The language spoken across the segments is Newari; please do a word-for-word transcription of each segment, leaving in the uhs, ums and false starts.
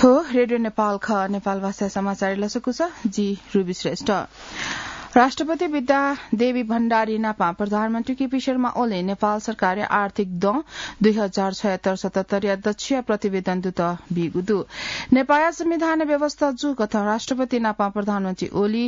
थ्व रेडियो नेपाल खः। नेपाल भाषा समाचार लसकुस, जि रुबी श्रेष्ठ। राष्ट्रपति विद्या देवी भण्डारी नापं प्रधानमन्त्री केपी शर्मा ओली नेपाल सरकारया आर्थिक दँ दुई हजार छयत्तर सतहत्तर या दच्छिया प्रतिवेदन दुत बीगु दु। नेपाया संविधान व्यवस्था जूकथं राष्ट्रपति नापं प्रधानमन्त्री ओली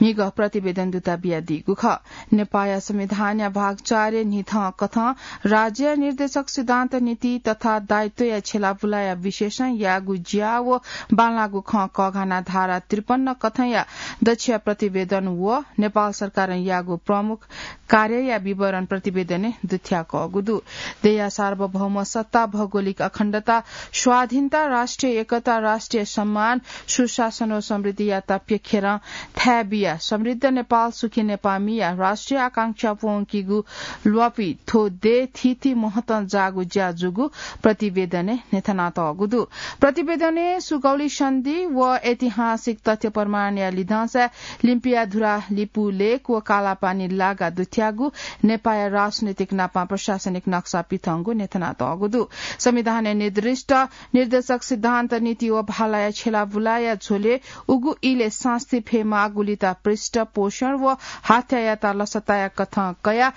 म्हिगः प्रतिवेदन दुत बियादीगु खः। नेपाया संविधानया भाग चार न्हिथं कथं राज्य निर्देशक सिद्धान्त नीति तथा दायित्वया छेलाबुलाया विशेषं याःगु ज्या व बांलाःगु खँ कःघाना धारा त्रिपन्न कथंया दच्छिया प्रतिवेदन व नेपाल सरकारं याःगु प्रमुख कार्यया विवरण प्रतिवेदनय् दुथ्याकःगु दु। देया सार्वभौम सत्ता, भौगोलिक अखण्डता, स्वाधीनता, राष्ट्रिय एकता, राष्ट्रिय सम्मान, सुशासन व समृद्धियात प्यखेरं थाय् बिया समृद्ध नेपाल, सुखी नेपाःमिया राष्ट्रिय आकांक्षा प्वंकीगु ल्वापि थ्व दे थीथी महत्वं जाःगु ज्या जूगु प्रतिवेदनय् न्ह्यथनातःगु दु। प्रतिवेदनय् सुगौली सन्धि व ऐतिहासिक तथ्य प्रमाणया लिधंसा लिम्पिया धुरा, लिपु लेक व कालापानी लागा दुथ्याःगु नेपाया राजनैतिक नापं प्रशासनिक नक्सा पिथंगु न्ह्यथनातःगु दु। संविधानय् निर्दिष्ट निर्देशक सिद्धान्त नीति व भालाया छेलाबुलाया झ्वलय् उगु इलय् सास्ती फयेमाःगुलित पृष्ठ पोषण व हाथ्यायात लसताया कथं कयाः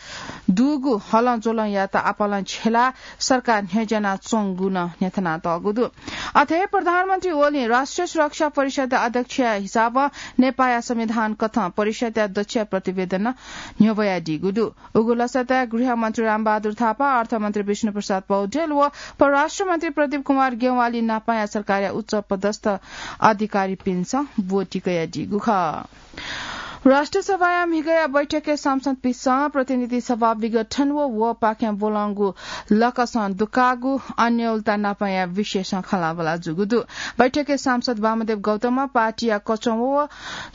दुगु हलंज्वलंयात आपालं छेला सरकार न्ह्यज्यानाच्वंगु नं न्ह्यथनातःगु दु। अथे प्रधानमन्त्री ओलीं राष्ट्रिय सुरक्षा परिषद अध्यक्षया हिसाबं नेपाया संविधान कथं परिषदया दच्छिया प्रतिवेदन न्ह्यब्वयादीगु दु। उगु लसताय् गृहमन्त्री रामबहादुर थापा, अर्थमन्त्री विष्णुप्रसाद पौडेल व परराष्ट्रमन्त्री प्रदीप कुमार ज्ञवाली नापंया सरकारया उच्च पदस्थ अधिकारीपिन्सं ब्वति कयादीगु खः। राष्ट्रिय सभाया म्हिगःया बैठकय् सांसदपिन्सं प्रतिनिधि सभा विघटन व वपाखें ब्वलंगु लकसं दुकाःगु अन्योलता नापंया विषयसं खँल्हाबल्हा जूगु दु। बैठकय् सांसद वामदेव गौतमं पार्टीया कचं व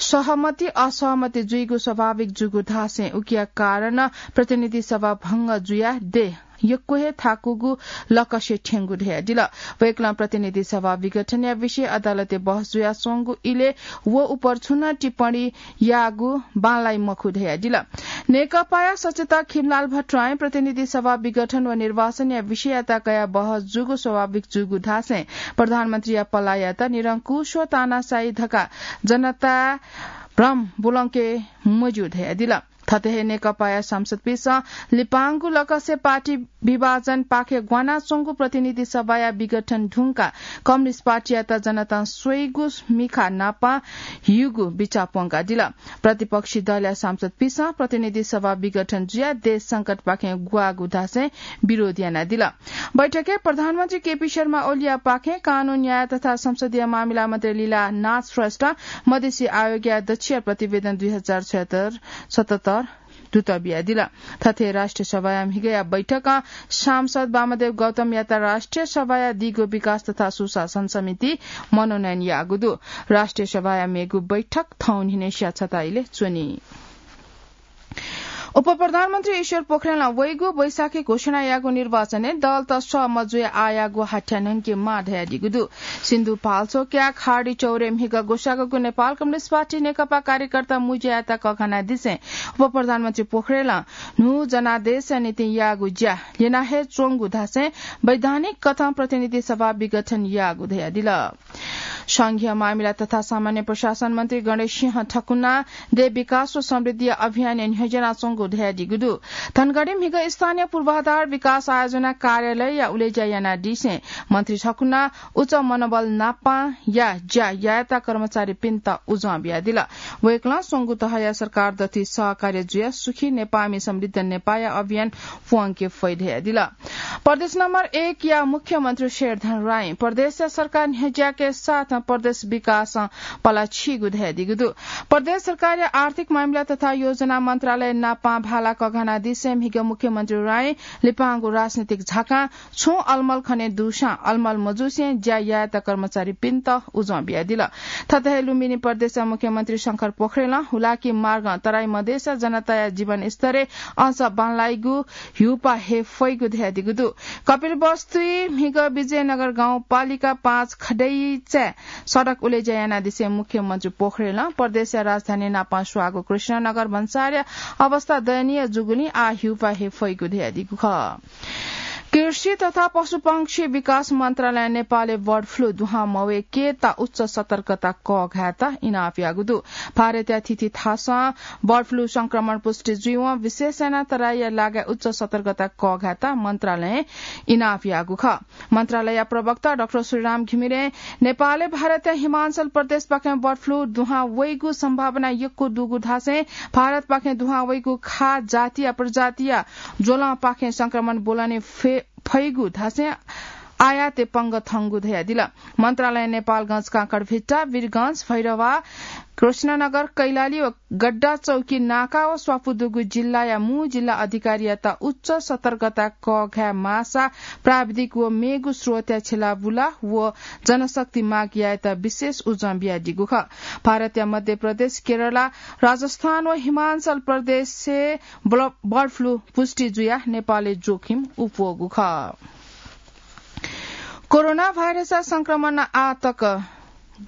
सहमति असहमति जुइगु स्वाभाविक जूगु धासें उकिया कारणं प्रतिनिधि सभा भंग जुयाः देय् यक्व हे थाकुगु लकसे थ्यंगु धयादिल। वय्कलं प्रतिनिधि सभा विघटनया विषय अदालतय् बहस जुयाच्वंगु इलय् व उपर छुं नं टिप्पणी याःगु बांलाइ मखु धयादिल। नेकपाया सचेतक खिमलाल भट्टराईं प्रतिनिधि सभा विघटन व निर्वाचनया विषययात कयाः बहस जूगु स्वाभाविक जूगु धासें प्रधानमन्त्रीया पलाःयात निरंकुश व तानाशाही धकाः जनताय् भ्रम ब्वलंके मज्यू धयादिल। थथे हे नेकपाया सांसदपिन्सं लिपांगु लकसे पार्टी विभाजनपाखे ग्वानाच्वंगु प्रतिनिधि सभाया विघटन धुंकाः कम्युनिस्ट पार्टीयात जनतां स्वइगु मिखा नापं ह्यूगु बिचाः प्वंकादिल। प्रतिपक्षी दलया सांसदपिन्सं प्रतिनिधि सभा विघटन जुयाः देश संकटपाखें ग्वाःगु धासें विरोध यानादिल। बैठकय् प्रधानमन्त्री केपी शर्मा ओलीयापाखें कानून, न्याय तथा संसदीय मामिला मन्त्री लीलानाथ श्रेष्ठं मधेसी आयोगया दच्छिया प्रतिवेदन दुई हजार छयत्तर सतहत्तर दुत बियादिल। थथे राष्ट्रिय सभाया म्हिगःया बैठकं सांसद वामदेव गौतमयात राष्ट्रिय सभाया दीगो विकास तथा सुशासन समिति मनोनयन याःगु दु। राष्ट्रिय सभाया मेगु बैठक थौं न्हिनय् स्याः छता इलय् च्वनी। उपप्रधानमन्त्री ईश्वर पोखरेलं वइगु वैशाखय् घोषणा याःगु निर्वाचनय् दलत सह मजुया आःयाःगु हाथ्या न्हंकेमाः धयादीगु दु। सिन्धुपाल्चोकया खाडी चौरय् म्हिगः ग्वसाःगु नेपाल कम्युनिस्ट पार्टी नेकपा कार्यकर्ता मुज्यायात कःघानादिसें उपप्रधानमन्त्री पोखरेलं न्हू जनादेशया निंतिं याःगु ज्या ल्यना हे च्वंगु धासें वैधानिक कथं प्रतिनिधि सभा विघटन याःगु धयादिल। संघीय मामिला तथा सामान्य प्रशासन मन्त्री गणेश सिंह ठकुना देय् विकास व समृद्धिया अभियानय् न्ह्यज्यानाच्वंगु धयादीगु दु। धनगढी म्हिगः स्थानीय पूर्वाधार विकास आयोजना कार्यालयया उलेज्या यानादिसें मन्त्री ठकुना उच्च मनोबल नापं या ज्या यायेत कर्मचारीपिन्त उजं बियादिल। वय्कलं स्वंगू तहया सरकार दथुइ सहकार्य जुयाः सुखी नेपाःमि समृद्ध नेपाःया अभियान प्वंके फइ धयादिल। प्रदेश नम्बर एक या मुख्यमन्त्री शेरधन राईं प्रदेशया सरकार न्ह्यज्याके साथ प्रदेश विकासं पला छीगु धयादीगु दु। प्रदेश सरकारया आर्थिक मामिला तथा योजना मन्त्रालय नापं भाला कःघानादिसें म्हिगः मुख्यमन्त्री राईं लिपांगु राजनीतिक झाकां छुं अलमल खने दुसां अलमल मजुसें ज्या यायेत कर्मचारीपिन्त उजं बियादिल। थथे हे लुम्बिनी प्रदेशया मुख्यमन्त्री शंकर पोखरेलं हुलाकी मार्गं तराई मधेसया जनताया जीवनस्तरय् अझ बांलाइगु ह्यूपाः हे फइगु धयादीगु दु। कपिलवस्तुइ म्हिगः विजयनगर गाउँपालिका पाँच खडैचाय् सडक उलेज्या यानादिसें मुख्यमन्त्री पोखरेलं प्रदेशया राजधानी नापं स्वाःगु कृष्णनगर भन्सारया अवस्था दयनीय जूगुलिं आः ह्यूपाः हे फइगु धयादीगु खः। कृषि तथा पशुपक्षी विकास मन्त्रालयं नेपालय् बर्ड फ्लू दुहां मवय्केत उच्च सतर्कता कःघायेत इनाप याःगु दु। भारतया थीथी थासं बर्ड फ्लू संक्रमण पुष्टि जुइवं विशेष यानाः तराईया लागाय् उच्च सतर्कता कःघायेत मन्त्रालयं इनाप याःगु खः। मन्त्रालयया प्रवक्ता डाक्टर श्रीराम घिमिरें नेपालय् भारतया हिमाञ्चल प्रदेशपाखें बर्ड फ्लू दुहां वइगु सम्भावना यक्व दुगु धासें भारतपाखें दुहां वइगु खास जातिया प्रजातिया ज्वलंपाखें संक्रमण ब्वलने फे-, फइगु धासें आयातय् पंगः थंगु धयादिल। मन्त्रालयं नेपालगंज, काँकरभिट्टा, वीरगंज, भैरहवा, कृष्णनगर, कैलाली व गड्डाचौकी नाका व स्वापू दुगु जिल्लाया मू जिल्ला अधिकारीयात उच्च सतर्कता कःघाये माःसा प्राविधिक व मेगु स्रोतया छेलाबुला व जनशक्ति माग यायेत विशेष उजं बियादीगु खः। भारतया मध्य प्रदेश, केरला, राजस्थान व हिमाञ्चल प्रदेशय् ब्ल-, बर्ड फ्लू पुष्टि जुयाः नेपालय् जोखिम उप्वःगु खः। कोरोना भाइरसया संक्रमणं आः तक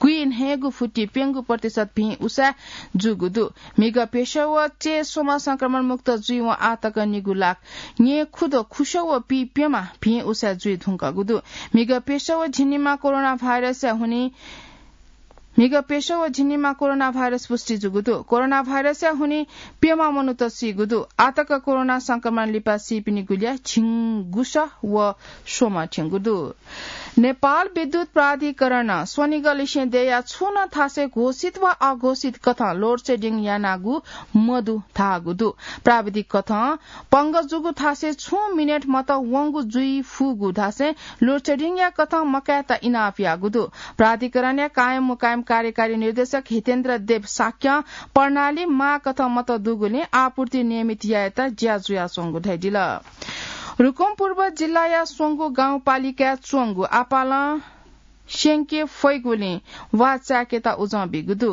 गुइन्हय्गू फुति प्यंगू प्रतिशत भिं उसाँय् जूगु दु। म्हिगः प्यसः व चय् स्वम्ह संक्रमण मुक्त जुइवं आः तक निगू लाख न्येखुद्वः खुसः व पीप्यम्ह भिं उसाँय् जुइ धुंकूगु दु। म्हिगः प्यसः व झिंनिम्ह कोरोना भाइरसया हुनिं म्हिगः प्यसः व झिंनिम्ह कोरोना भाइरस पुष्टि जूगु दु। कोरोना भाइरसया हुनिं प्यम्ह मनूत सीगु दु। आः तक कोरोना संक्रमण लिपा सीपिनिगु ल्याः झिंगुसः व स्वम्ह थ्यंगु दु। नेपाल विद्युत प्राधिकरणं स्वनिगःलिसें देया छुं नं थासय् घोषित वा अघोषित कथं load shedding यानागु मदु धाःगु दु। प्राविधिक कथं पंगः जूगु थासय् छुं मिनेट मत वंगु जुइ फुगु धासें load shedding या कथं मकायेत इनाप याःगु दु। प्राधिकरणया कायम मुकायम कार्यकारी निर्देशक हितेन्द्र देव शाक्यं प्रणाली माः कथं मत दुगुलिं आपूर्ति नियमित यायेत ज्या जुयाच्वंगु धयादिल। रुकुम पूर्व जिल्लाया स्वंगू गाउँपालिकाय् च्वंगु आपालं स्यंके फइगुलिं वा चाय्केत उजं बीगु दु।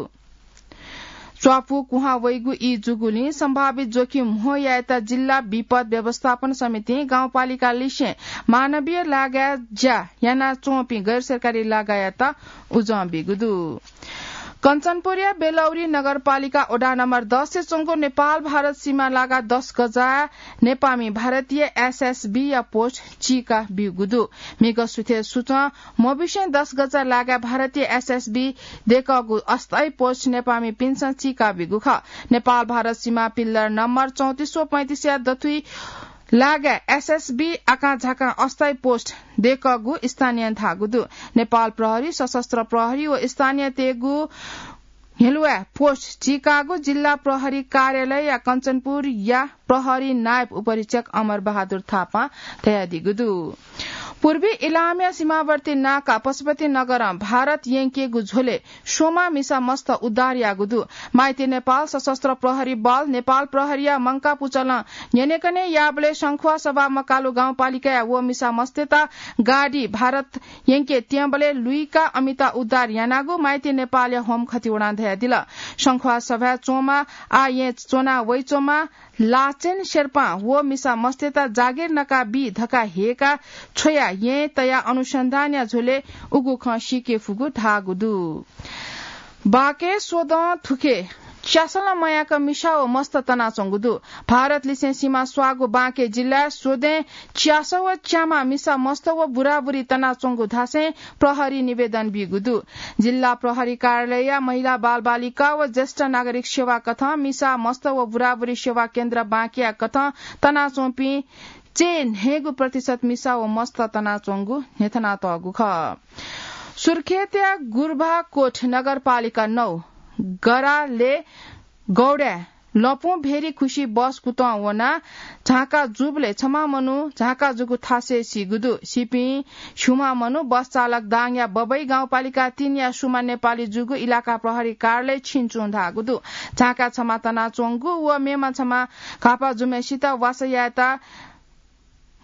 च्वापु कुहां वइगु ई जूगुलिं सम्भावित जोखिम म्हो यायेत जिल्ला विपद व्यवस्थापन समितिं गाउँपालिका लिसें मानवीय लागाय् ज्या यानाच्वंपिं गैर सरकारी लागायात उजं बीगु दु। कञ्चनपुरया बेलौरी नगरपालिका वडा नम्बर दस य् च्वंगु नेपाल भारत सीमा लागा दस गजा नेपामी भारतीय एसएसबी या पोस्ट चीका ब्यूगु दु। म्हिगः सुथय् सुचं मबिसें दस गजा लागाय् भारतीय एसएसबी दय्कःगु अस्थायी पोस्ट नेपामिपिन्सं चीका ब्यूगु खः। नेपाल भारत सीमा पिल्लर नम्बर चौंतिस व पैंतिस या दथुइ लागाय् एसएसबी आकांझाकां अस्थायी पोस्ट दय्कःगु स्थानीयं धाःगु दु। नेपाल प्रहरी, सशस्त्र प्रहरी व स्थानीयतय्गु हेलुवाय् पोस्ट चीकागु जिल्ला प्रहरी कार्यालय या कञ्चनपुर या प्रहरी नायब उपरीक्षक अमर बहादुर थापां धयादीगु दु। पूर्वी इलामया सीमावर्ती नाका पशुपति नगरं भारत यंकेगु झ्वलय् स्वम्ह मिसा मस्त उद्धार याःगु दु। माइती नेपाल सशस्त्र प्रहरी बल, नेपाल प्रहरीया मंकाः पुचलं न्यनेकने याःबलय् शंखुवा सभा मकालु गाउँपालिकाया व मिसा मस्तय्त गाडी भारत यंके त्यंबलय् लुइका अमिता उद्धार यानागु माइती नेपालया होम खतिवडां धयादिल। शंखुवा सभाय् च्वंम्ह आः येँ च्वना वइच्वंम्ह लाचेन शेर्पां व मिसा मस्तय्त जागिर नका बी धकाः हेका छ्वया येँ तया अनुसन्धानया झ्वलय् उगु खँ सीके फुगु धाःगु दु। बाके स्वदँ थुखे च्यासलं मयाक मिसा व मस्त तनाच्वंगु दु। भारत लिसें सीमा स्वाःगु बाँके जिल्लाय् स्वदें च्यासः व च्यामा मिसा मस्त व बुराबुरी तनाच्वंगु धासें प्रहरी निवेदन बीगु दु। जिल्ला प्रहरी कार्यालयया महिला बालबालिका व ज्येष्ठ नागरिक सेवा कथं मिसा मस्त व बुराबुरी सेवा केन्द्र बाँकेया कथं तनाच्वंपिं चय् न्हय्गू प्रतिशत मिसा व मस्त तनाच्वंगु न्ह्यथनातःगु खः। सुर्खेतया गुर्भाकोट नगरपालिका नौ गराले गौड्याय् लँपुं भेरी खुसि बस कुतः वनाः झांका जूबलय् छम्ह मनू झांका जूगु थासय् सीगु दु। सीपिं छुम्ह मनू बस चालक दाङया बबई गाउँपालिका तीन या सुमा नेपाली जूगु इलाका प्रहरी कार्यालय छिन्चुं धाःगु दु। झांका छम्ह तनाच्वंगु व मेम्ह छम्ह घाःपाः जूम्हय्सित वासः यायेत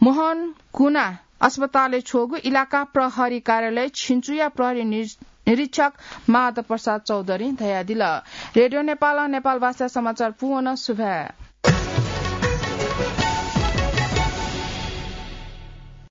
मोहन कुना अस्पतालय् छ्वःगु इलाका प्रहरी कार्यालय छिन्चुया प्रहरी निर-, निरीक्षक माधव प्रसाद चौधरीं धयादिल। रेडियो नेपालं नेपाल भाषा समाचार पूवन सुभाय्।